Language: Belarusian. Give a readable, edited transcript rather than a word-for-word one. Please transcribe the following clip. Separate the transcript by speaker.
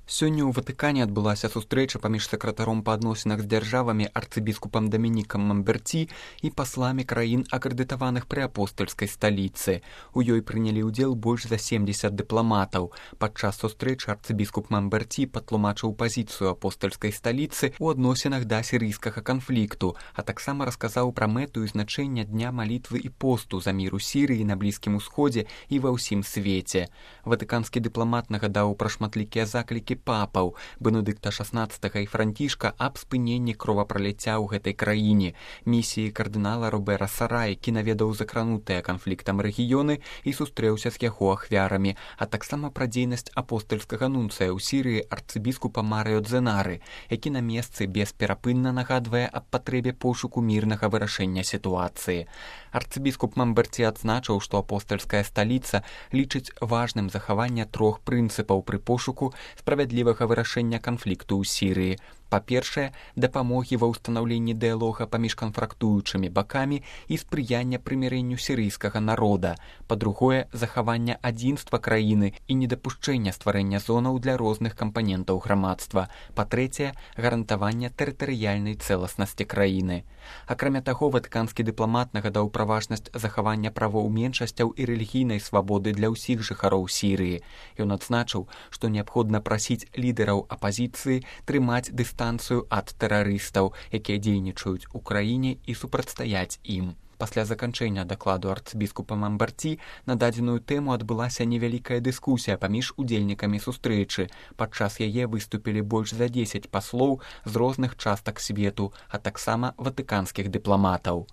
Speaker 1: Сёння ў Ватыкане адбылася сустрэча паміж сакратаром па адносінах з дзяржавамі арцыбіскупам Дамінікам Мамберці і пасламі краін, акрэдытаваных пры апостальскай сталіцы. У ёй прынялі ўдзел больш за 70 дыпламатаў. Падчас сустрэчы арцыбіскуп Мамберці патлумачыў пазіцыю апостальскай сталіцы ў адносінах да сірыйскага канфлікту, а таксама расказаў пра мэту і значэнне дня малітвы і посту за мір у Сірыі, на Блізкім Усходзе і ва ўсім свеце. Ватыканскі дыпламат нагадаў пра шматлікія заклікі папаў Бенедыкта XVI і Францішка аб спыненні кровапраліцця ў гэтай краіне, місіі кардынала Робера Сара, які наведаў закранутыя канфліктам рэгіёны і сустрэўся з яго ахвярамі, а таксама пра дзейнасць апостальскага нунцыя ў Сірыі арцыбіскупа Марыё Дзенары, які на месцы бесперапынна нагадвае аб патрэбе пошуку мірнага вырашэння сітуацыі. Арцыбіскуп Мамберці адзначыў, што апостальская сталіца лічыць важным захаванне трох прынцыпаў пры пошуку справядлівага вырашэння канфлікту ў Сірыі. Па-першае, дапамогі ва ўстанаўленні дыялога паміж канфрактуючымі бакамі і спрыяння прымірэнню сірыйскага народа. Па-другое, захавання адзінства краіны і недапушчэння стварэння зонаў для розных кампанентаў грамадства. Па-трэцяе, гарантавання тэрытарыяльнай цэласнасці краіны. Акрамя таго, ватыканскі дыпламат нагадаў пра важнасць захавання правоў меншасцяў і рэлігійнай свабоды для ўсіх жыхароў Сірыі. Ён адзначыў, што неабходна прасіць лідараў апазіцыі трымаць дыстанцыю ад тэрарыстаў, якія дзейнічаюць у краіне, і супрацьстаяць ім. Пасля заканчэння дакладу арцыбіскупа Мамберці на дадзеную тэму адбылася невялікая дыскусія паміж удзельнікамі сустрэчы. Падчас яе выступілі больш за 10 паслоў з розных частак свету, а таксама ватыканскіх дыпламатаў.